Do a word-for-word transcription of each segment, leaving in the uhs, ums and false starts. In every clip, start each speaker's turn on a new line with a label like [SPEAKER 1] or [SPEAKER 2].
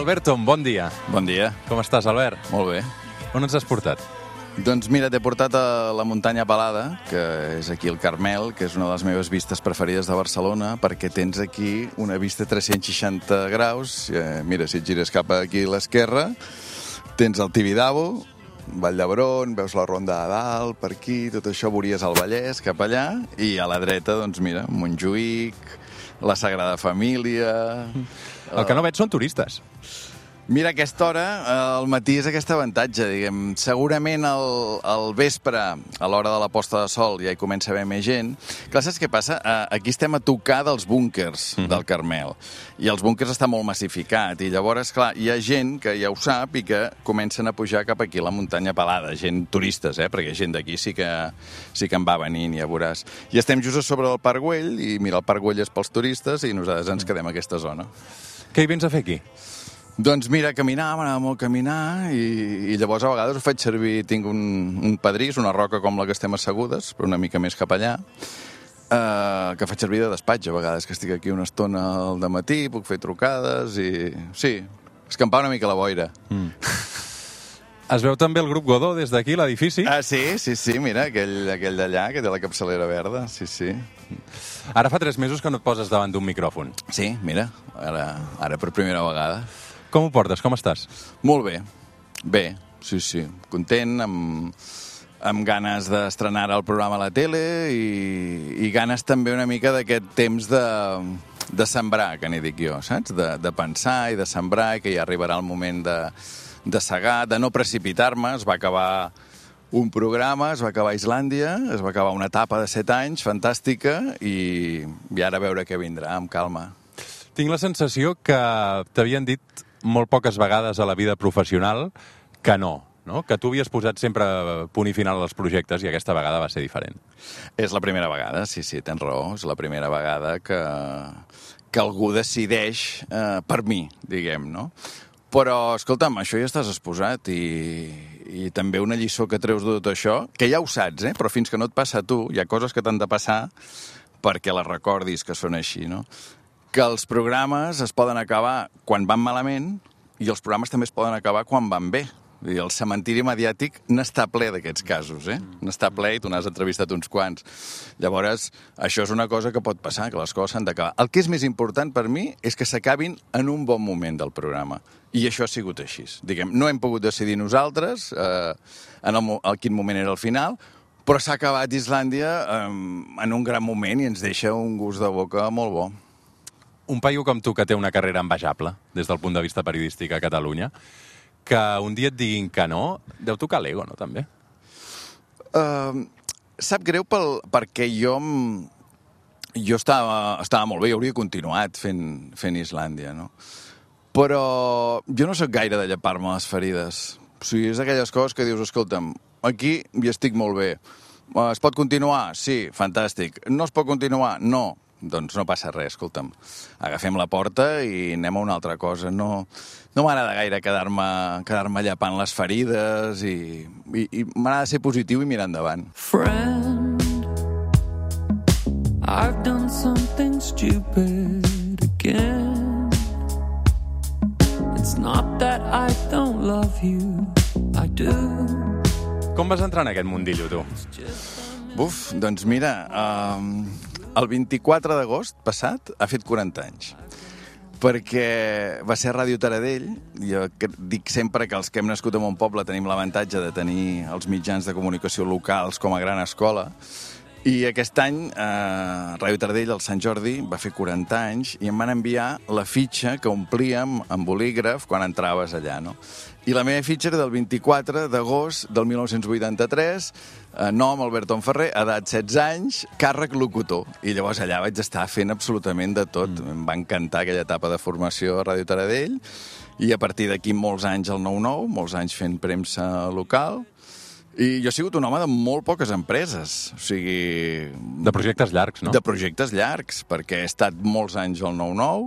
[SPEAKER 1] Alberton, bon dia.
[SPEAKER 2] Bon dia.
[SPEAKER 1] Com estàs, Albert?
[SPEAKER 2] Molt bé.
[SPEAKER 1] On ens has portat?
[SPEAKER 2] Doncs mira, t'he portat a la muntanya Pelada, que és aquí el Carmel, que és una de les meves vistes preferides de Barcelona, perquè tens aquí una vista tres-cents seixanta graus. Eh, mira, si et gires cap aquí a l'esquerra, tens el Tibidabo, Vall d'Hebron, veus la Ronda de Dalt, per aquí, tot això veuries al Vallès, cap allà, i a la dreta, doncs mira, Montjuïc, la Sagrada Família...
[SPEAKER 1] El que no veig són turistes.
[SPEAKER 2] Mira, a aquesta hora, al matí és aquest avantatge, diguem. Segurament al, al vespre, a l'hora de la posta de sol, ja hi comença a haver més gent. Clar, saps què passa? Aquí estem a tocar dels búnkers mm-hmm. del Carmel. I els búnkers estan molt massificats. I llavors, clar, hi ha gent que ja ho sap i que comencen a pujar cap aquí, a la muntanya Pelada. Gent turistes, eh? Perquè gent d'aquí sí que, sí que en va venint, ja veuràs. I estem just a sobre del Parc Güell, i mira, el Parc Güell és pels turistes, i nosaltres ens quedem a aquesta zona.
[SPEAKER 1] Què hi vens a fer aquí?
[SPEAKER 2] Doncs mira, caminar, m'agrada molt caminar, i, i llavors a vegades ho faig servir, tinc un, un pedrís, una roca com la que estem assegudes, però una mica més cap allà, eh, que faig servir de despatx a vegades, que estic aquí una estona al dematí, puc fer trucades, i sí, escampar una mica la boira. Mm.
[SPEAKER 1] Es veu també el grup Godó des d'aquí, l'edifici?
[SPEAKER 2] Ah, sí, sí, sí, mira, aquell, aquell d'allà, que té la capçalera verda, sí, sí.
[SPEAKER 1] Ara fa tres mesos que no et poses davant d'un micròfon.
[SPEAKER 2] Sí, mira, ara, ara per primera vegada.
[SPEAKER 1] Com ho portes? Com estàs?
[SPEAKER 2] Molt bé. Bé, sí, sí. Content, amb, amb ganes d'estrenar el programa a la tele i, i ganes també una mica d'aquest temps de, de sembrar, que n'hi dic jo, saps? De, de pensar i de sembrar, i que ja arribarà el moment de, de segar, de no precipitar-me. Es va acabar un programa, es va acabar a Islàndia, es va acabar una etapa de set anys, fantàstica, i, i ara a veure què vindrà, amb calma.
[SPEAKER 1] Tinc la sensació que t'havien dit molt poques vegades a la vida professional que no, no? Que tu havies posat sempre punt i final als projectes i aquesta vegada va ser diferent.
[SPEAKER 2] És la primera vegada, sí, sí, tens raó. És la primera vegada que, que algú decideix eh, per mi, diguem, no? Però, escolta'm, això ja estàs exposat i, i també una lliçó que treus de tot això, que ja ho saps, eh? Però fins que no et passa a tu, hi ha coses que t'han de passar perquè les recordis que són així, no? Que els programes es poden acabar quan van malament i els programes també es poden acabar quan van bé. I el cementiri mediàtic n'està ple d'aquests casos, eh? N'està ple i tu n'has entrevistat uns quants. Llavors, això és una cosa que pot passar, que les coses s'han d'acabar. El que és més important per mi és que s'acabin en un bon moment del programa. I això ha sigut així. Diguem, no hem pogut decidir nosaltres eh, en el, el quin moment era el final, però s'ha acabat Islàndia eh, en un gran moment i ens deixa un gust de boca molt bo.
[SPEAKER 1] Un paio com tu que té una carrera envejable des del punt de vista periodístic a Catalunya, que un dia et diguin que no, deu tocar l'ego, no, també?
[SPEAKER 2] Uh, sap greu pel, perquè jo, jo estava, estava molt bé, jo hauria continuat fent, fent Islàndia, no? Però jo no sóc gaire de llepar-me les ferides. O sigui, és aquelles coses que dius, escolta'm, aquí hi estic molt bé. Es pot continuar? Sí, fantàstic. No es pot continuar? No. Doncs no passa res, escolta'm. Agafem la porta i anem a una altra cosa. No, no m'agrada gaire quedar-me quedar-me llepant les ferides i, i, i m'agrada ser positiu i mirar endavant.
[SPEAKER 3] Friend, I've done something stupid again. It's not that I don't love you, I do.
[SPEAKER 1] Com vas entrar en aquest mundillo, tu?
[SPEAKER 2] Buf, doncs mira... Um... El vint-i-quatre d'agost passat ha fet quaranta anys, perquè va ser a Ràdio Taradell. Jo dic sempre que els que hem nascut en un poble tenim l'avantatge de tenir els mitjans de comunicació locals com a gran escola, i aquest any eh, Ràdio Taradell, el Sant Jordi, va fer quaranta anys i em van enviar la fitxa que omplíem amb bolígraf quan entraves allà, no? I la meva fitxa era del vint-i-quatre d'agost del mil nou-cents vuitanta-tres, eh, nom Alberton Ferrer, edat setze anys, càrrec locutor. I llavors allà vaig estar fent absolutament de tot. Mm. Em va encantar aquella etapa de formació a Ràdio Taradell, i a partir d'aquí molts anys al nou nou, molts anys fent premsa local. I jo he sigut un home de molt poques empreses, o sigui...
[SPEAKER 1] De projectes llargs, no?
[SPEAKER 2] De projectes llargs, perquè he estat molts anys al nou nou,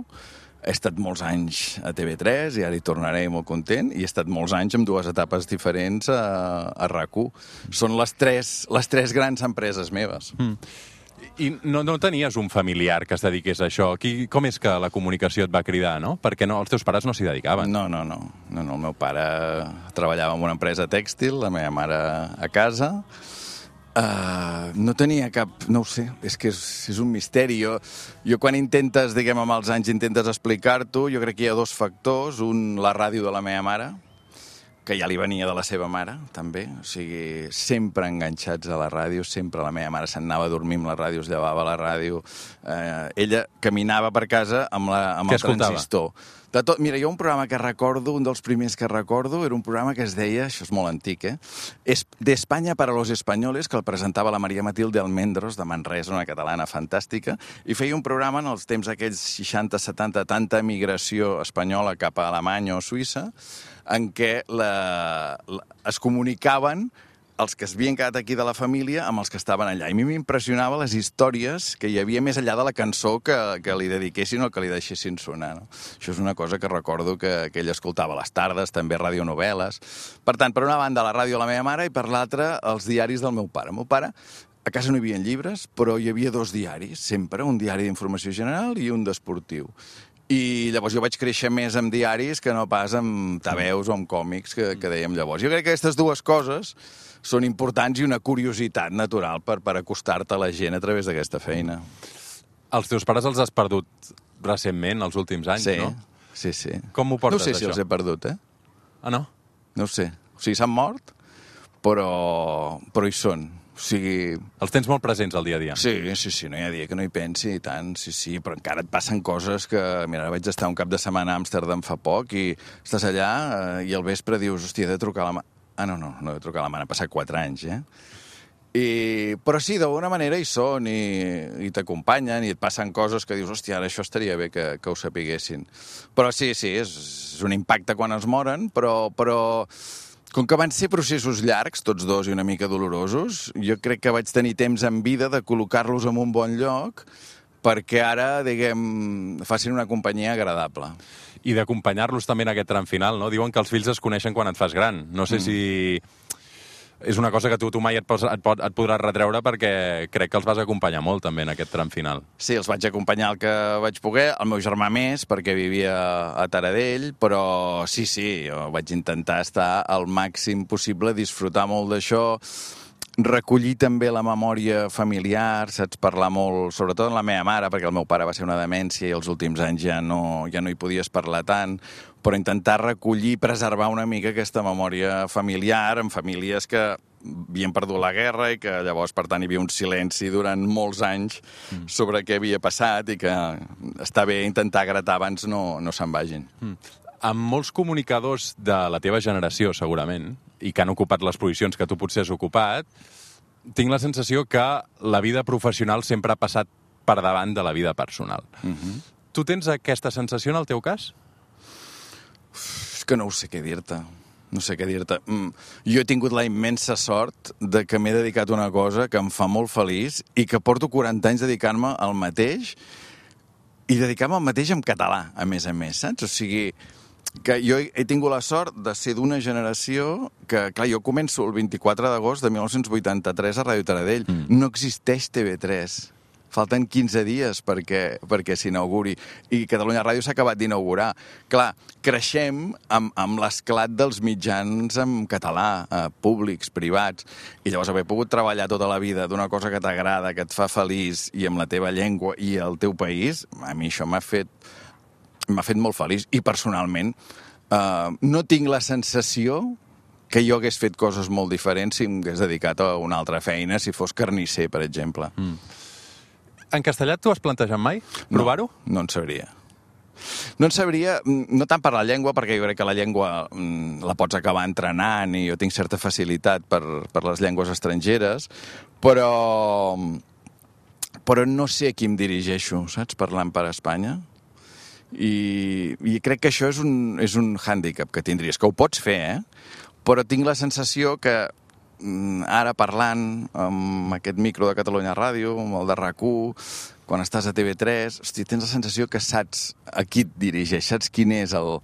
[SPEAKER 2] he estat molts anys a T V tres, i ara hi tornaré molt content, i he estat molts anys amb dues etapes diferents a, a RAC u. Són les tres, les tres grans empreses meves. Mm.
[SPEAKER 1] I no, no tenies un familiar que es dediqués a això. Qui, com és que la comunicació et va cridar, no? Perquè no, els teus pares no s'hi dedicaven.
[SPEAKER 2] No, no, no, no, no. El meu pare treballava en una empresa tèxtil, la meva mare a casa. Uh, no tenia cap... No ho sé, és que és, és un misteri. Jo, jo quan intentes, diguem, amb els anys intentes explicar-t'ho, jo crec que hi ha dos factors. Un, la ràdio de la meva mare, que ja li venia de la seva mare, també. O sigui, sempre enganxats a la ràdio, sempre la meva mare se'n anava a dormir amb la ràdio, es llevava a la ràdio. Eh, ella caminava per casa amb, la, amb el transistor. De tot, mira, jo un programa que recordo, un dels primers que recordo, era un programa que es deia, això és molt antic, eh? Es, de España para los españoles, que el presentava la Maria Matilde Almendros, de Manresa, una catalana fantàstica, i feia un programa en els temps aquells seixanta setanta, tanta migració espanyola cap a Alemanya o Suïssa, en què la, la, es comunicaven els que havien quedat aquí de la família amb els que estaven allà. I a mi m'impressionava les històries que hi havia més enllà de la cançó que, que li dediquessin o que li deixessin sonar. No? Això és una cosa que recordo que, que ell escoltava a les tardes, també radionovel·les. Per tant, per una banda, la ràdio de la meva mare i per l'altra, els diaris del meu pare. El meu pare, a casa no hi havia llibres, però hi havia dos diaris, sempre, un diari d'informació general i un d'esportiu. I llavors jo vaig créixer més amb diaris que no pas amb tabeus o amb còmics que, que dèiem llavors. Jo crec que aquestes dues coses són importants i una curiositat natural per, per acostar-te a la gent a través d'aquesta feina.
[SPEAKER 1] Els teus pares els has perdut recentment, els últims anys,
[SPEAKER 2] sí,
[SPEAKER 1] no?
[SPEAKER 2] Sí, sí.
[SPEAKER 1] Com ho portes,
[SPEAKER 2] això? No sé si
[SPEAKER 1] això?
[SPEAKER 2] els he perdut, eh?
[SPEAKER 1] Ah, no?
[SPEAKER 2] No ho sé. O sigui, s'han mort, però, però hi són. O sigui...
[SPEAKER 1] Els tens molt presents al dia a dia.
[SPEAKER 2] Sí, sí, sí, no hi ha dia que no hi pensi i tant, sí, sí, però encara et passen coses que... Mira, vaig estar un cap de setmana a Amsterdam fa poc i estàs allà eh, i al vespre dius, hòstia, he de trucar a la mare. Ah, no, no, no he de trucar a la mare, han passat quatre anys, eh? I... Però sí, d'alguna manera hi són i, i t'acompanyen i et passen coses que dius, hòstia, ara això estaria bé que, que ho sapiguessin. Però sí, sí, és, és un impacte quan es moren, però... però... Com que van ser processos llargs, tots dos, i una mica dolorosos, jo crec que vaig tenir temps en vida de col·locar-los en un bon lloc perquè ara, diguem, facin una companyia agradable.
[SPEAKER 1] I d'acompanyar-los també en aquest tram final, no? Diuen que els fills es coneixen quan et fas gran. No sé mm. si... És una cosa que tu, tu mai et, pots, et, pot, et podràs retreure perquè crec que els vas acompanyar molt també en aquest tram final.
[SPEAKER 2] Sí, els vaig acompanyar el que vaig poder, el meu germà més, perquè vivia a Taradell, però sí, sí, jo vaig intentar estar al màxim possible, disfrutar molt d'això, recollir també la memòria familiar, saps, parlar molt, sobretot amb la meva mare, perquè el meu pare va ser una demència i els últims anys ja no, ja no hi podies parlar tant, però intentar recollir i preservar una mica aquesta memòria familiar en famílies que havien perdut la guerra i que llavors, per tant, hi havia un silenci durant molts anys mm. sobre què havia passat i que està bé intentar gratar abans no, no se'n vagin.
[SPEAKER 1] Mm. Amb molts comunicadors de la teva generació, segurament, i que han ocupat les posicions que tu potser has ocupat, tinc la sensació que la vida professional sempre ha passat per davant de la vida personal.
[SPEAKER 2] Mm-hmm.
[SPEAKER 1] Tu tens aquesta sensació en el teu cas?
[SPEAKER 2] És que no ho sé què dir-te. No sé què dir-te. Mm. Jo he tingut la immensa sort de que m'he dedicat a una cosa que em fa molt feliç i que porto quaranta anys dedicant-me al mateix i dedicar-me al mateix en català, a més a més, saps? O sigui, que jo he tingut la sort de ser d'una generació que, clar, jo començo el vint-i-quatre d'agost de mil nou-cents vuitanta-tres a Ràdio Taradell. Mm. No existeix T V tres. Falten quinze dies perquè, perquè s'inauguri. I Catalunya Ràdio s'ha acabat d'inaugurar. Clar, creixem amb, amb l'esclat dels mitjans en català, eh, públics, privats, i llavors haver pogut treballar tota la vida d'una cosa que t'agrada, que et fa feliç, i amb la teva llengua i el teu país, a mi això m'ha fet, m'ha fet molt feliç. I personalment eh, no tinc la sensació que jo hagués fet coses molt diferents si m'hagués dedicat a una altra feina, si fos carnisser, per exemple.
[SPEAKER 1] Mm. En castellà tu has plantejat mai provar-ho?
[SPEAKER 2] No, no en sabria. No en sabria, no tant per la llengua, perquè jo crec que la llengua la pots acabar entrenant i jo tinc certa facilitat per, per les llengües estrangeres, però, però no sé a qui em dirigeixo, saps, parlant per Espanya. I, i crec que això és un, és un hàndicap que tindries, que ho pots fer, eh? Però tinc la sensació que ara parlant amb aquest micro de Catalunya Ràdio, amb el de RAC u, quan estàs a T V tres, hosti, tens la sensació que saps a qui et dirigeix, saps quin és el,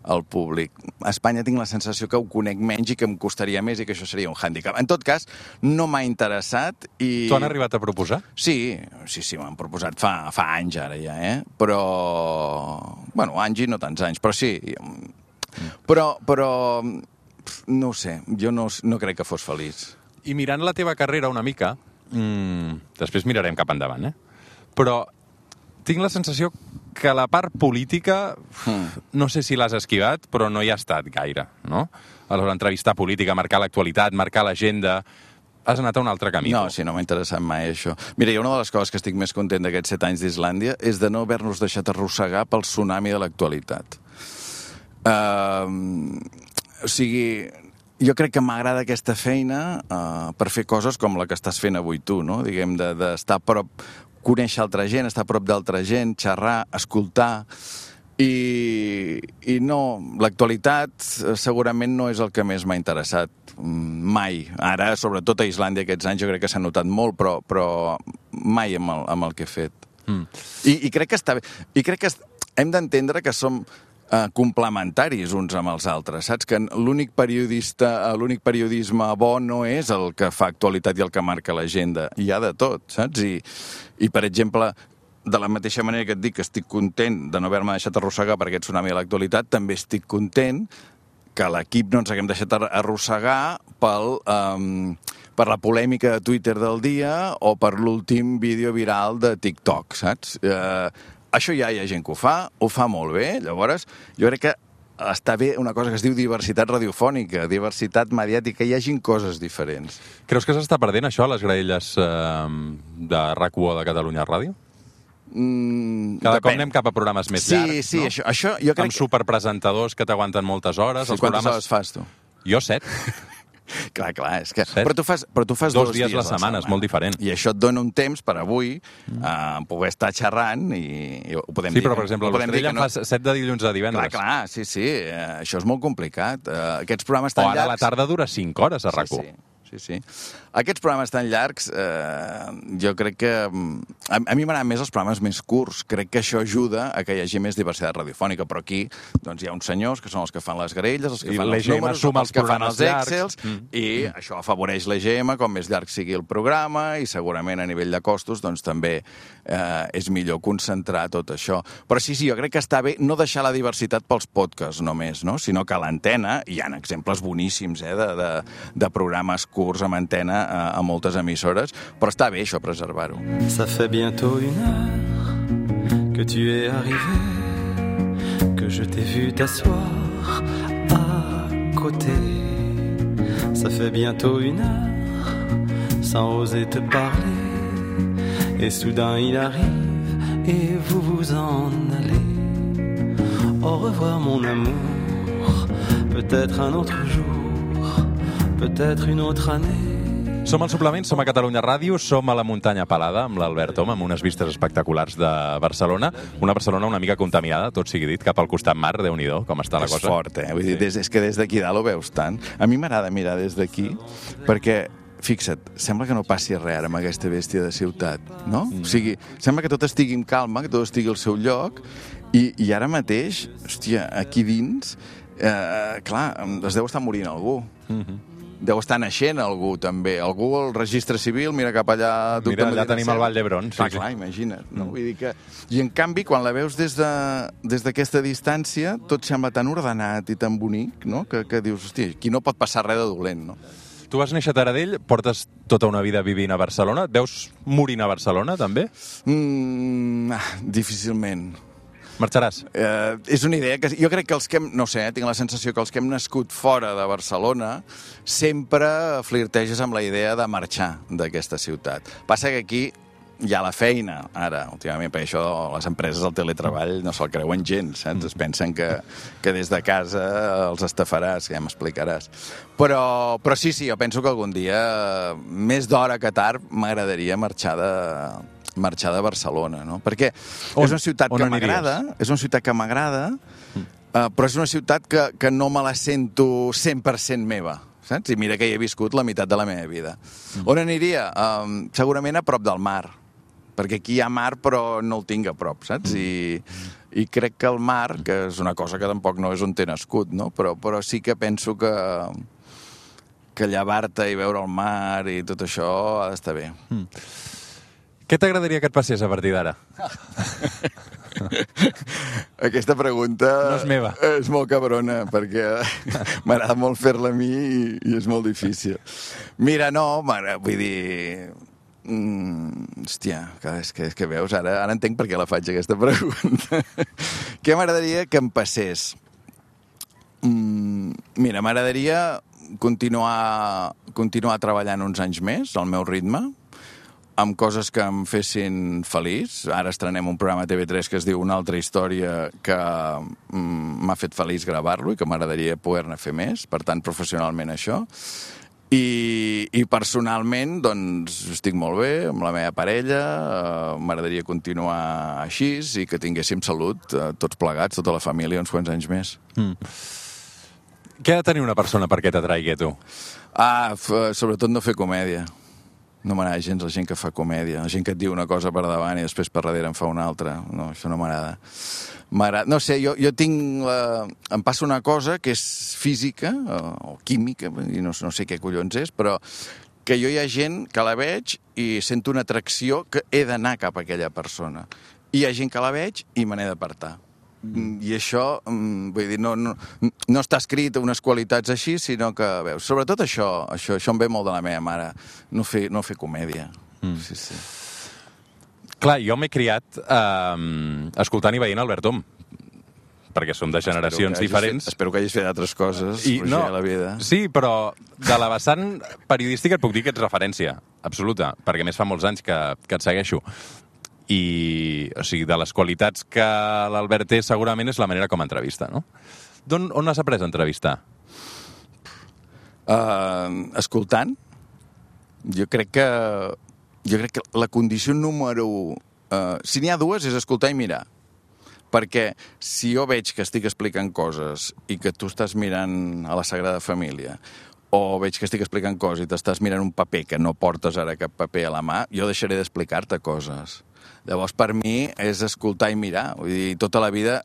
[SPEAKER 2] el públic. A Espanya tinc la sensació que ho conec menys i que em costaria més i que això seria un hàndicap. En tot cas, no m'ha interessat i...
[SPEAKER 1] T'ho han arribat a proposar?
[SPEAKER 2] Sí, sí, sí, m'han proposat fa, fa anys ara ja, eh? Però... Bueno, anys i no tants anys, però sí. Però, però no ho sé, jo no, no crec que fos feliç.
[SPEAKER 1] I mirant la teva carrera una mica, mmm, després mirarem cap endavant, eh? Però tinc la sensació que la part política, mm. no sé si l'has esquivat, però no hi ha estat gaire, no? Aleshores, entrevistar política, marcar l'actualitat, marcar l'agenda... Has anat a un altre camí.
[SPEAKER 2] No, sí, no m'ha interessat mai això. Mira, hi ha una de les coses que estic més content d'aquests set anys d'Islàndia és de no haver-nos deixat arrossegar pel tsunami de l'actualitat. Uh, o sigui, jo crec que m'agrada aquesta feina uh, per fer coses com la que estàs fent avui tu, no? Diguem, d'estar de, a prop, conèixer altra gent, estar a prop d'altra gent, xerrar, escoltar... I, i no, l'actualitat segurament no és el que més m'ha interessat mai. Ara, sobretot a Islàndia aquests anys, jo crec que s'ha notat molt, però, però mai amb el, amb el que he fet. Mm. I, I crec que està bé. I crec que hem d'entendre que som eh, complementaris uns amb els altres, saps? Que l'únic periodista, l'únic periodisme bo no és el que fa actualitat i el que marca l'agenda. Hi ha de tot, saps? I, i per exemple... De la mateixa manera que et dic que estic content de no haver-me deixat arrossegar per aquest tsunami de l'actualitat, també estic content que l'equip no ens haguem deixat arrossegar pel, um, per la polèmica de Twitter del dia o per l'últim vídeo viral de TikTok, saps? Uh, això ja hi ha gent que ho fa, ho fa molt bé, llavors jo crec que està bé una cosa que es diu diversitat radiofònica, diversitat mediàtica, hi hagin coses diferents.
[SPEAKER 1] Creus que s'està perdent això a les graelles eh, de R A C u o de Catalunya Ràdio?
[SPEAKER 2] Mm,
[SPEAKER 1] Cada
[SPEAKER 2] depèn.
[SPEAKER 1] cop anem cap a programes més
[SPEAKER 2] sí,
[SPEAKER 1] llargs,
[SPEAKER 2] sí,
[SPEAKER 1] no?
[SPEAKER 2] Sí, això, això jo crec
[SPEAKER 1] amb superpresentadors que t'aguanten moltes hores.
[SPEAKER 2] Sí,
[SPEAKER 1] els
[SPEAKER 2] quantes
[SPEAKER 1] programes...
[SPEAKER 2] hores fas, tu?
[SPEAKER 1] Jo set.
[SPEAKER 2] Clar, clar, és que...
[SPEAKER 1] Set?
[SPEAKER 2] Però tu fas, però tu fas
[SPEAKER 1] dos,
[SPEAKER 2] dos
[SPEAKER 1] dies, dies la setmana, és molt diferent.
[SPEAKER 2] I això et dona un temps per avui mm. uh, poder estar xerrant i, i ho podem
[SPEAKER 1] sí,
[SPEAKER 2] dir.
[SPEAKER 1] però, per exemple, l'Estrella no... fa set de dilluns a divendres.
[SPEAKER 2] Clar, clar, sí, sí, uh, això és molt complicat. Uh, aquests programes tan
[SPEAKER 1] o ara
[SPEAKER 2] llargs...
[SPEAKER 1] la tarda dura cinc hores a R A C u.
[SPEAKER 2] Sí, sí. Sí, sí. Aquests programes tan llargs, eh, jo crec que... A, a mi m'agraden més els programes més curts. Crec que això ajuda a que hi hagi més diversitat radiofònica. Però aquí doncs, hi ha uns senyors que són els que fan les graelles, els que
[SPEAKER 1] I
[SPEAKER 2] fan els números, els, els que fan els Excels, mm. i mm. això afavoreix l'E G M, com més llarg sigui el programa, i segurament a nivell de costos doncs, també eh, és millor concentrar tot això. Però sí, sí, jo crec que està bé no deixar la diversitat pels podcasts només, no? Sinó que a l'antena hi ha exemples boníssims eh, de, de, de programes curts amb antena a, a moltes emissores, però està bé això, preservar-ho.
[SPEAKER 3] Ça fait bientôt une heure que tu es arrivé, que je t'ai vu t'asseoir à côté. Ça fait bientôt une heure sans oser te parler, et soudain il arrive et vous vous en allez. Au revoir mon amour, peut-être un autre jour, peut-être une autre année.
[SPEAKER 1] Som al Suplement, som a Catalunya Ràdio, som a la muntanya Pelada amb l'Albert Om, amb unes vistes espectaculars de Barcelona. Una Barcelona una mica contaminada, tot sigui dit, cap al costat mar, Déu-n'hi-do, com està la
[SPEAKER 2] és
[SPEAKER 1] cosa.
[SPEAKER 2] És fort, eh? Vull dir, des, és que des d'aquí dalt ho veus tant. A mi m'agrada mirar des d'aquí, perquè, fixa't, sembla que no passi res ara amb aquesta bèstia de ciutat, no? Mm. O sigui, sembla que tot estigui en calma, que tot estigui al seu lloc, i, i ara mateix, hòstia, aquí dins, eh, clar, es deu estar morint algú. Mm-hmm. Deu estar naixent algú, també. Algú al registre civil, mira cap allà...
[SPEAKER 1] Mira, allà tenim el Vall d'Hebron.
[SPEAKER 2] Sí, clar, clar, imagina't. No? Vull dir que... I, en canvi, quan la veus des de, des d'aquesta distància, tot sembla tan ordenat i tan bonic, no? Que, que dius, hòstia, aquí no pot passar res de dolent, no?
[SPEAKER 1] Tu vas néixer a Taradell, portes tota una vida vivint a Barcelona. Et veus morint a Barcelona, també?
[SPEAKER 2] Mm, ah, difícilment.
[SPEAKER 1] Marxaràs?
[SPEAKER 2] Eh, és una idea que... Jo crec que els que hem... No sé, eh, tinc la sensació que els que hem nascut fora de Barcelona sempre flirteges amb la idea de marxar d'aquesta ciutat. Passa que aquí hi ha la feina, ara, últimament, per això les empreses del teletreball no se'l creuen gens, saps? Es pensen que, que des de casa els estafaràs, que ja m'explicaràs. Però, però sí, sí, jo penso que algun dia, més d'hora que tard, m'agradaria marxar de... marxar de Barcelona, no? Perquè on, és una ciutat que m'agrada, és una ciutat que m'agrada, mm. uh, però és una ciutat que, que no me la sento cent per cent meva, saps? I mira que hi he viscut la meitat de la meva vida. Mm. On aniria? Um, segurament a prop del mar, perquè aquí hi ha mar però no el tinc a prop, saps? Mm. I I crec que el mar, que és una cosa que tampoc no és on t'he nascut, no? Però, però sí que penso que, que llevar-te i veure el mar i tot això ha d'estar bé.
[SPEAKER 1] Mm. Què t'agradaria que et passés a partir d'ara?
[SPEAKER 2] Aquesta pregunta
[SPEAKER 1] no és meva.
[SPEAKER 2] És molt cabrona, perquè m'agrada molt fer-la a mi i, i és molt difícil. Mira, no, vull dir... Mm, hòstia, és que, és que veus, ara, ara entenc per què la faig, aquesta pregunta. Què m'agradaria que em passés? Mm, mira, m'agradaria continuar, continuar treballant uns anys més, al meu ritme, amb coses que em fessin feliç. Ara estrenem un programa a T V tres que es diu Una altra història, que mm, m'ha fet feliç gravar-lo i que m'agradaria poder-ne fer més, per tant, professionalment això. I, i personalment, doncs, estic molt bé amb la meva parella, eh, m'agradaria continuar així i que tinguéssim salut, eh, tots plegats, tota la família, uns quants anys més.
[SPEAKER 1] Mm. Què ha de tenir una persona perquè t'atraigui a tu?
[SPEAKER 2] Ah, f- sobretot no fer comèdia. No m'agrada gens la gent que fa comèdia, la gent que et diu una cosa per davant i després per darrere en fa una altra. No, això no m'agrada. M'agrada. No sé, jo, jo tinc... La... Em passa una cosa que és física, o, o química, i no, no sé què collons és, però que jo hi ha gent que la veig i sento una atracció que he d'anar cap a aquella persona. I hi ha gent que la veig i me n'he d'apartar. Mm. I això, vull dir, no, no, no està escrit unes qualitats així, sinó que, veus, sobretot això, això, això em ve molt de la meva mare, no fer, no fer comèdia. Mm. Sí, sí.
[SPEAKER 1] Clar, jo m'he criat eh, escoltant i veient Albert Om, perquè som de generacions
[SPEAKER 2] espero
[SPEAKER 1] diferents.
[SPEAKER 2] Fet, espero que hagis fet altres coses,
[SPEAKER 1] I,
[SPEAKER 2] Roger,
[SPEAKER 1] no,
[SPEAKER 2] a la vida.
[SPEAKER 1] Sí, però de la vessant periodística et puc dir que ets referència, absoluta, perquè més fa molts anys que, que et segueixo. I, o sigui, de les qualitats que l'Albert té segurament és la manera com entrevista, no? D'on, on has après a entrevistar?
[SPEAKER 2] Uh, escoltant. Jo crec que jo crec que la condició número... Uh, si n'hi ha dues, és escoltar i mirar. Perquè si jo veig que estic explicant coses i que tu estàs mirant a la Sagrada Família, o veig que estic explicant coses i t'estàs mirant un paper que no portes ara cap paper a la mà, jo deixaré d'explicar-te coses. Llavors, per mi, és escoltar i mirar. Vull dir, tota la vida...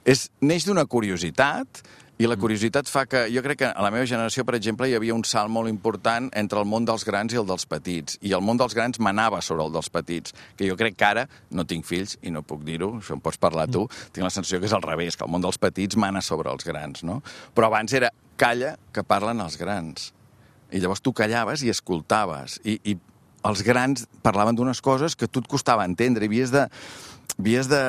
[SPEAKER 2] És, neix d'una curiositat, i la curiositat fa que... Jo crec que a la meva generació, per exemple, hi havia un salt molt important entre el món dels grans i el dels petits. I el món dels grans manava sobre el dels petits. Que jo crec que ara, no tinc fills, i no puc dir-ho, això em pots parlar tu, tinc la sensació que és al revés, que el món dels petits mana sobre els grans, no? Però abans era calla que parlen els grans. I llavors tu callaves i escoltaves. I, i els grans parlaven d'unes coses que a tu et costava entendre, i havies de... havies de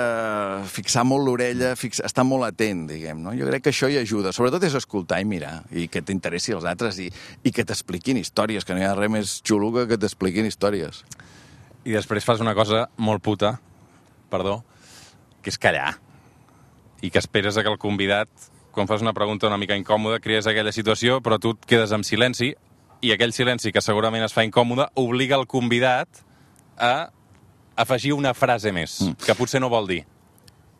[SPEAKER 2] fixar molt l'orella, fix... estar molt atent, diguem, no? Jo crec que això hi ajuda. Sobretot és escoltar i mirar, i que t'interessi els altres, i, i que t'expliquin històries, que no hi ha res més xulo que que t'expliquin històries.
[SPEAKER 1] I després fas una cosa molt puta, perdó, que és callar. I que esperes que el convidat, quan fas una pregunta una mica incòmoda, crees aquella situació, però tu et quedes en silenci, i aquell silenci, que segurament es fa incòmode, obliga el convidat a afegir una frase més, mm. que potser no vol dir.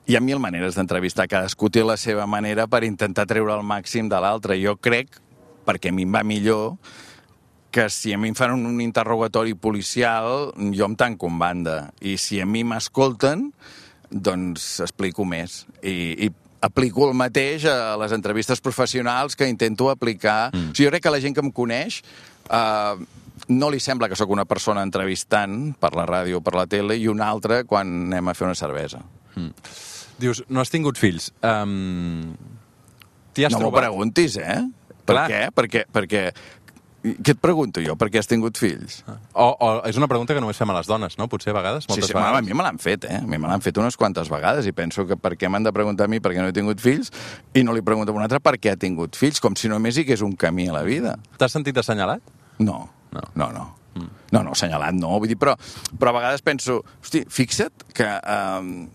[SPEAKER 2] Hi ha mil maneres d'entrevistar, cadascú té la seva manera per intentar treure el màxim de l'altre. Jo crec, perquè a mi em va millor, que si a mi em fan un interrogatori policial, jo em tanco en banda. I si a mi m'escolten, doncs explico més. I, i aplico el mateix a les entrevistes professionals que intento aplicar. Mm. O sigui, jo crec que la gent que em coneix... Uh, no li sembla que sóc una persona entrevistant per la ràdio o per la tele i una altra quan anem a fer una cervesa. Mm.
[SPEAKER 1] Dius, no has tingut fills. Um...
[SPEAKER 2] No trobat? M'ho preguntis, eh? Per Clar. què? Perquè, perquè... Què et pregunto jo? Per què has tingut fills?
[SPEAKER 1] O, o és una pregunta que només fem a les dones, no? Potser a vegades, moltes
[SPEAKER 2] sí, sí,
[SPEAKER 1] vegades.
[SPEAKER 2] A mi me l'han fet, eh? A mi me l'han fet unes quantes vegades i penso que per què m'han de preguntar a mi per què no he tingut fills i no li pregunto a un altre per què ha tingut fills, com si només hi hagués un camí a la vida.
[SPEAKER 1] T'has sentit assenyalat?
[SPEAKER 2] No. No, no. No, mm. no, no assenyalat no. Vull dir, però, però a vegades penso, hosti, fixa't que um,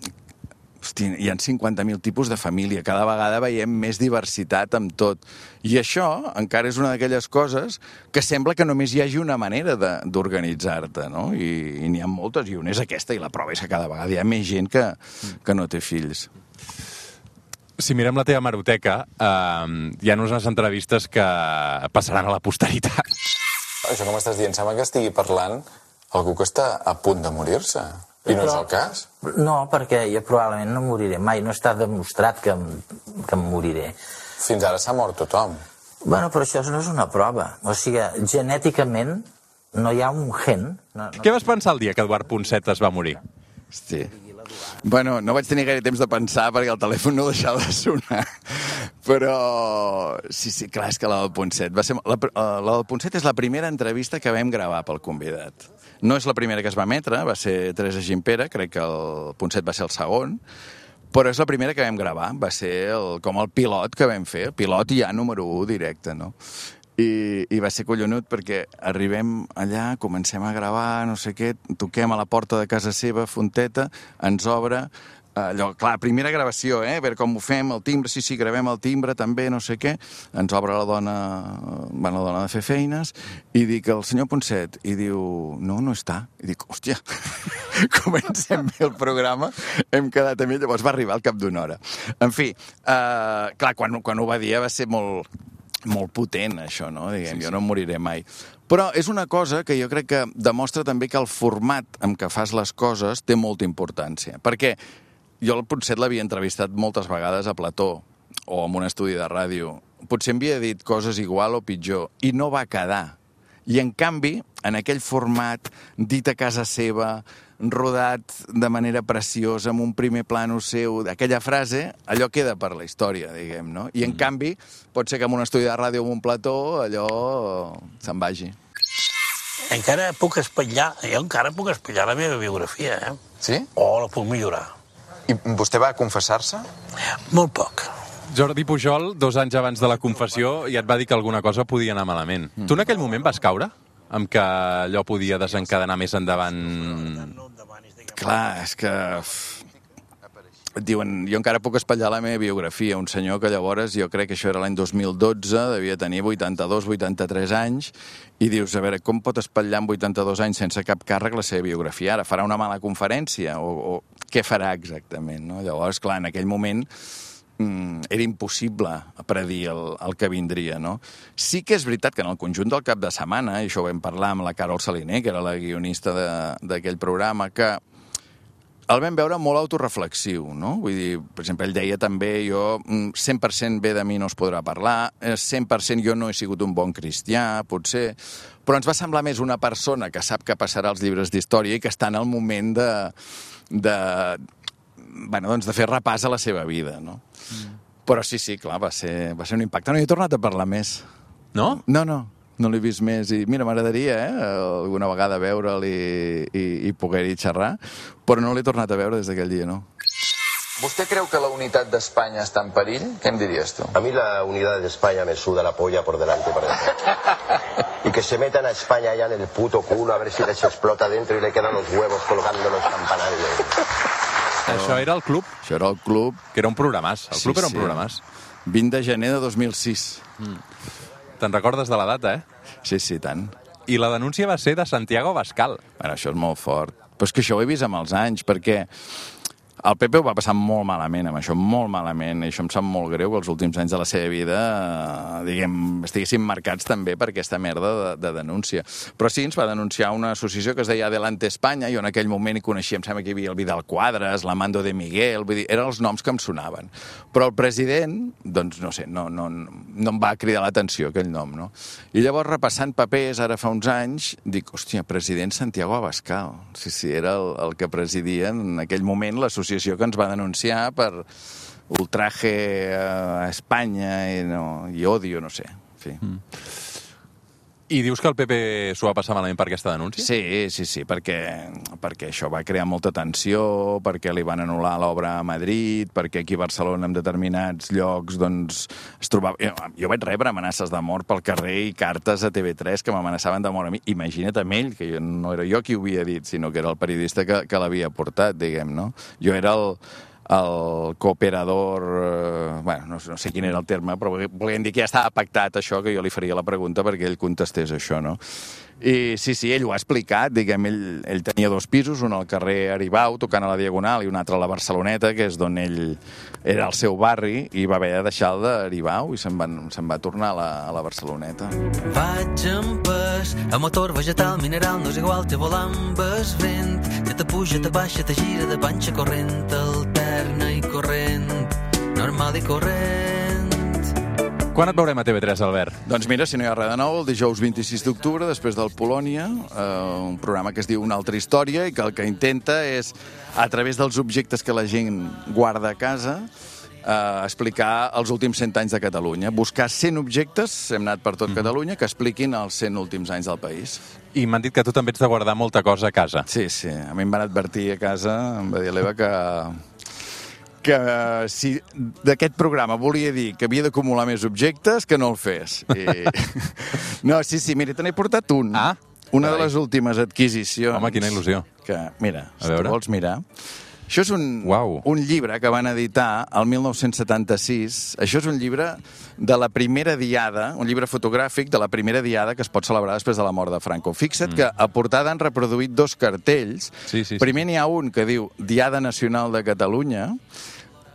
[SPEAKER 2] hosti, hi ha cinquanta mil tipus de família. Cada vegada veiem més diversitat amb tot. I això encara és una d'aquelles coses que sembla que només hi hagi una manera d'organitzar-te, no? I, i n'hi ha moltes, i una és aquesta, i la prova és que cada vegada hi ha més gent que, que no té fills.
[SPEAKER 1] Si mirem la teva hemeroteca, eh, hi ha unes entrevistes que passaran a la posteritat.
[SPEAKER 4] Això que m'estàs dient, sembla que estigui parlant algú que està a punt de morir-se. I no és el cas?
[SPEAKER 5] No, perquè jo probablement no moriré mai. No està demostrat que em, que em moriré.
[SPEAKER 4] Fins ara s'ha mort tothom.
[SPEAKER 5] Bueno, però això no és una prova. O sigui, genèticament no hi ha un gen. No, no...
[SPEAKER 1] Què vas pensar el dia que Eduard Ponset es va morir?
[SPEAKER 2] Hosti. Bueno, no vaig tenir gaire temps de pensar perquè el telèfon no deixava de sonar. Però sí, sí, clar, és que la del Ponset va ser... La, la del Ponset és la primera entrevista que vam gravar pel convidat. No és la primera que es va emetre, va ser Teresa Gimpera, crec que el Ponset va ser el segon, però és la primera que vam gravar, va ser el, com el pilot que vam fer, el pilot ja número u directe, no? I, i va ser collonut perquè arribem allà, comencem a gravar, no sé què, toquem a la porta de casa seva, Fonteta, ens obre, allò, clar, primera gravació, eh, a veure com ho fem, el timbre, sí, sí, gravem el timbre, també, no sé què, ens obre la dona, bueno, la dona de fer feines, i dic, el senyor Ponset, i diu, no, no està. I dic, hòstia, comencem bé el programa, hem quedat amb ell, llavors va arribar al cap d'una hora. En fi, eh, clar, quan, quan ho va dir va ser molt... molt potent, això, no? Diguem, sí, sí. Jo no moriré mai. Però és una cosa que jo crec que demostra també que el format amb què fas les coses té molta importància. Perquè jo el Ponset l'havia entrevistat moltes vegades a plató o en un estudi de ràdio. Potser em havia dit coses igual o pitjor i no va quedar. I, en canvi, en aquell format, dit a casa seva, rodat de manera preciosa, amb un primer plano seu, aquella frase, allò queda per la història, diguem, no? I, en canvi, pot ser que en un estudi de ràdio o en un plató, allò se'n vagi.
[SPEAKER 6] Encara puc espatllar, jo encara puc espatllar la meva biografia, eh?
[SPEAKER 4] Sí?
[SPEAKER 6] O la puc millorar.
[SPEAKER 4] I vostè va confessar-se?
[SPEAKER 6] Molt poc.
[SPEAKER 1] Jordi Pujol, dos anys abans de la confessió, ja et va dir que alguna cosa podia anar malament. Mm. Tu en aquell moment vas caure? Amb que allò podia desencadenar més endavant?
[SPEAKER 2] Clar, és que... Et diuen, jo encara puc espatllar la meva biografia. Un senyor que llavors, jo crec que això era l'any dos mil dotze, devia tenir vuitanta-dos, vuitanta-tres anys, i dius, a veure, com pot espatllar amb vuitanta-dos anys sense cap càrrec la seva biografia? Ara farà una mala conferència? O, o què farà exactament? No? Llavors, clar, en aquell moment era impossible predir el, el que vindria, no? Sí que és veritat que en el conjunt del cap de setmana, i això ho vam parlar amb la Carol Saliner, que era la guionista d'aquell programa, que el vam veure molt autoreflexiu, no? Vull dir, per exemple, ell deia també, jo cent per cent bé de mi no es podrà parlar, cent per cent jo no he sigut un bon cristià, potser, però ens va semblar més una persona que sap que passarà als llibres d'història i que està en el moment de... de bueno, doncs de fer repàs a la seva vida, no? Mm. Però sí, sí, clar, va ser, va ser un impacte. No hi he tornat a parlar més.
[SPEAKER 1] No?
[SPEAKER 2] No, no, no l'he vist més. I mira, m'agradaria, eh, alguna vegada veure'l i, i, i poder-hi xerrar, però no l'he tornat a veure des d'aquell dia, no.
[SPEAKER 4] ¿Usted creu que la unitat d'Espanya està en perill? ¿Qué me dirías tú?
[SPEAKER 7] A mí la unidad de España me suda la polla por delante y por detrás. Y que se metan a España allá en el puto culo a ver si les explota dentro y le quedan los huevos colgando en los campanarios.
[SPEAKER 1] Això era el club?
[SPEAKER 2] Això era el club.
[SPEAKER 1] Que era un programàs. El
[SPEAKER 2] sí,
[SPEAKER 1] club era un
[SPEAKER 2] sí.
[SPEAKER 1] programàs.
[SPEAKER 2] vint de gener de dos mil sis.
[SPEAKER 1] Mm. Te'n recordes de la data, eh?
[SPEAKER 2] Sí, sí, tant.
[SPEAKER 1] I la denúncia va ser de Santiago Abascal.
[SPEAKER 2] Bueno, això és molt fort. Però és que això ho he vist amb els anys, perquè el P P ho va passar molt malament amb això, molt malament, i això em sap molt greu que els últims anys de la seva vida, diguem, estiguessin marcats també per aquesta merda de, de denúncia. Però sí, ens va denunciar una associació que es deia Adelante España, jo en aquell moment hi coneixia, em sembla que hi havia el Vidal Quadras, l'Amando de Miguel, vull dir, eren els noms que em sonaven. Però el president, doncs no sé, no, no, no em va cridar l'atenció aquell nom, no? I llavors, repassant papers, ara fa uns anys, dic, hòstia, president Santiago Abascal. Sí, sí, era el, el que presidia en aquell moment l'associació que ens va denunciar per ultraje a Espanya i, no, i odio, no sé. En fi. Mm.
[SPEAKER 1] I dius que el P P s'ho va passar malament per aquesta denúncia?
[SPEAKER 2] Sí, sí, sí, perquè, perquè això va crear molta tensió, perquè li van anul·lar l'obra a Madrid, perquè aquí a Barcelona en determinats llocs doncs, es trobava... Jo, jo vaig rebre amenaces de mort pel carrer i cartes a T V tres que m'amenaçaven de mort a mi. Imagina't amb ell, que jo, no era jo qui ho havia dit, sinó que era el periodista que, que l'havia portat, diguem, no? Jo era el... el cooperador, eh, bueno, no, no sé quin era el terme, però volien dir que ja estava pactat això, que jo li faria la pregunta perquè ell contestés això, no? I sí, sí, ell ho ha explicat, diguem, ell, ell tenia dos pisos, un al carrer Aribau, tocant a la Diagonal, i un altre a la Barceloneta, que és d'on ell era el seu barri, i va haver de deixar el d'Aribau i se'n va, se'n va tornar a la, a la Barceloneta.
[SPEAKER 3] Vaig en pes, a motor vegetal, mineral, no és igual, té volant, ves vent, que te puja, te baixa, te gira de panxa corrent, alterna i corrent, normal i corrent.
[SPEAKER 1] Quan et veurem a T V tres, Albert?
[SPEAKER 2] Doncs mira, si no hi ha res de nou, el dijous vint-i-sis d'octubre, després del Polònia, eh, un programa que es diu Una altra història i que el que intenta és, a través dels objectes que la gent guarda a casa, eh, explicar els últims cent anys de Catalunya. Buscar cent objectes, hem anat per tot mm. Catalunya, que expliquin els cent últims anys del país.
[SPEAKER 1] I m'han dit que tu també ets de guardar molta cosa a casa.
[SPEAKER 2] Sí, sí. A mi em van advertir a casa, em va dir l'Eva que... que si d'aquest programa volia dir que havia d'acumular més objectes, que no el fes. I... No, sí, sí, mira, te n'he portat un.
[SPEAKER 1] Ah,
[SPEAKER 2] Una
[SPEAKER 1] carai.
[SPEAKER 2] de les últimes adquisicions.
[SPEAKER 1] Home, quina il·lusió.
[SPEAKER 2] Que, mira,
[SPEAKER 1] A
[SPEAKER 2] si
[SPEAKER 1] veure.
[SPEAKER 2] tu vols mirar... Això és un,
[SPEAKER 1] Uau.
[SPEAKER 2] un llibre que van editar el mil nou-cents setanta-sis. Això és un llibre de la primera diada, un llibre fotogràfic de la primera diada que es pot celebrar després de la mort de Franco. Fixa't mm. que a portada han reproduït dos cartells.
[SPEAKER 1] Sí, sí, sí.
[SPEAKER 2] Primer n'hi ha un que diu Diada Nacional de Catalunya,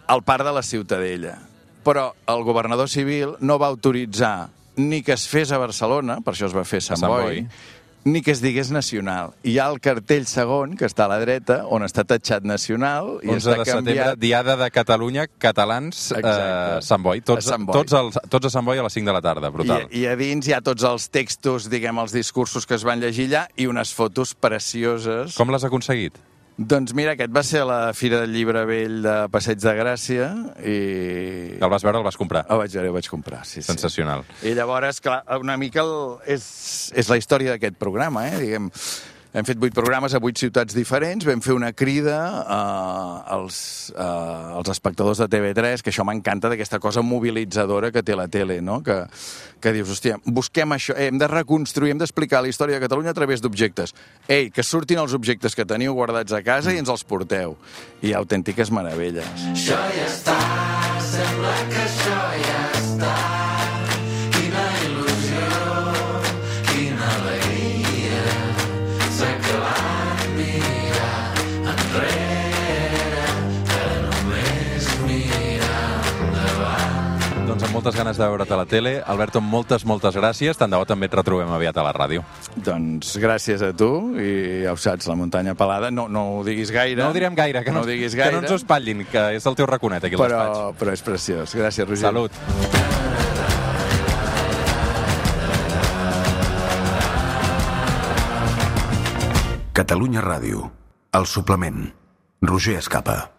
[SPEAKER 2] al parc de la Ciutadella. Però el governador civil no va autoritzar ni que es fes a Barcelona, per això es va fer a Sant,
[SPEAKER 1] Sant
[SPEAKER 2] Boi,
[SPEAKER 1] Boi,
[SPEAKER 2] ni que es digués nacional. Hi ha el cartell segon, que està a la dreta, on està tatxat nacional i
[SPEAKER 1] onze
[SPEAKER 2] està
[SPEAKER 1] de setembre,
[SPEAKER 2] canviat...
[SPEAKER 1] Diada de Catalunya, catalans, eh, Sant Boi. Tots,
[SPEAKER 2] A Sant Boi.
[SPEAKER 1] Tots, els, tots a Sant Boi a les cinc de la tarda, brutal.
[SPEAKER 2] I, I a dins hi ha tots els textos, diguem, els discursos que es van llegir allà i unes fotos precioses.
[SPEAKER 1] Com l'has aconseguit?
[SPEAKER 2] Doncs mira, aquest va ser a la Fira del Llibre Vell de Passeig de Gràcia i...
[SPEAKER 1] El vas veure, el vas comprar.
[SPEAKER 2] El vaig veure, el vaig comprar, sí, sí.
[SPEAKER 1] Sensacional.
[SPEAKER 2] I llavors, clar, una mica el, és, és la història d'aquest programa, eh? Diguem, hem fet vuit programes a vuit ciutats diferents, vam fer una crida eh, als, eh, als espectadors de T V tres, que això m'encanta, d'aquesta cosa mobilitzadora que té la tele, no? Que, que dius, hòstia, busquem això, eh, hem de reconstruir, hem d'explicar la història de Catalunya a través d'objectes. Ei, que surtin els objectes que teniu guardats a casa i ens els porteu. I hi ha autèntiques meravelles.
[SPEAKER 3] Això ja està, sembla que això ja està. Quina il·lusió, quina alegria. S'ha acabat mirar enrere, que només mirar endavant.
[SPEAKER 1] Doncs amb moltes ganes de veure't a la tele. Alberto, moltes, moltes gràcies. Tant de bo també et retrobem aviat a la ràdio.
[SPEAKER 2] Doncs gràcies a tu, i ja ho saps, la muntanya pelada, no, no ho diguis gaire.
[SPEAKER 1] No ho direm gaire, que no,
[SPEAKER 2] no ho diguis
[SPEAKER 1] que
[SPEAKER 2] gaire.
[SPEAKER 1] no ens ho espatllin, que és el teu raconet aquí al
[SPEAKER 2] però,
[SPEAKER 1] despatx.
[SPEAKER 2] però és preciós. Gràcies, Roger.
[SPEAKER 1] Salut.
[SPEAKER 8] Catalunya Ràdio. El suplement. Roger Escapa.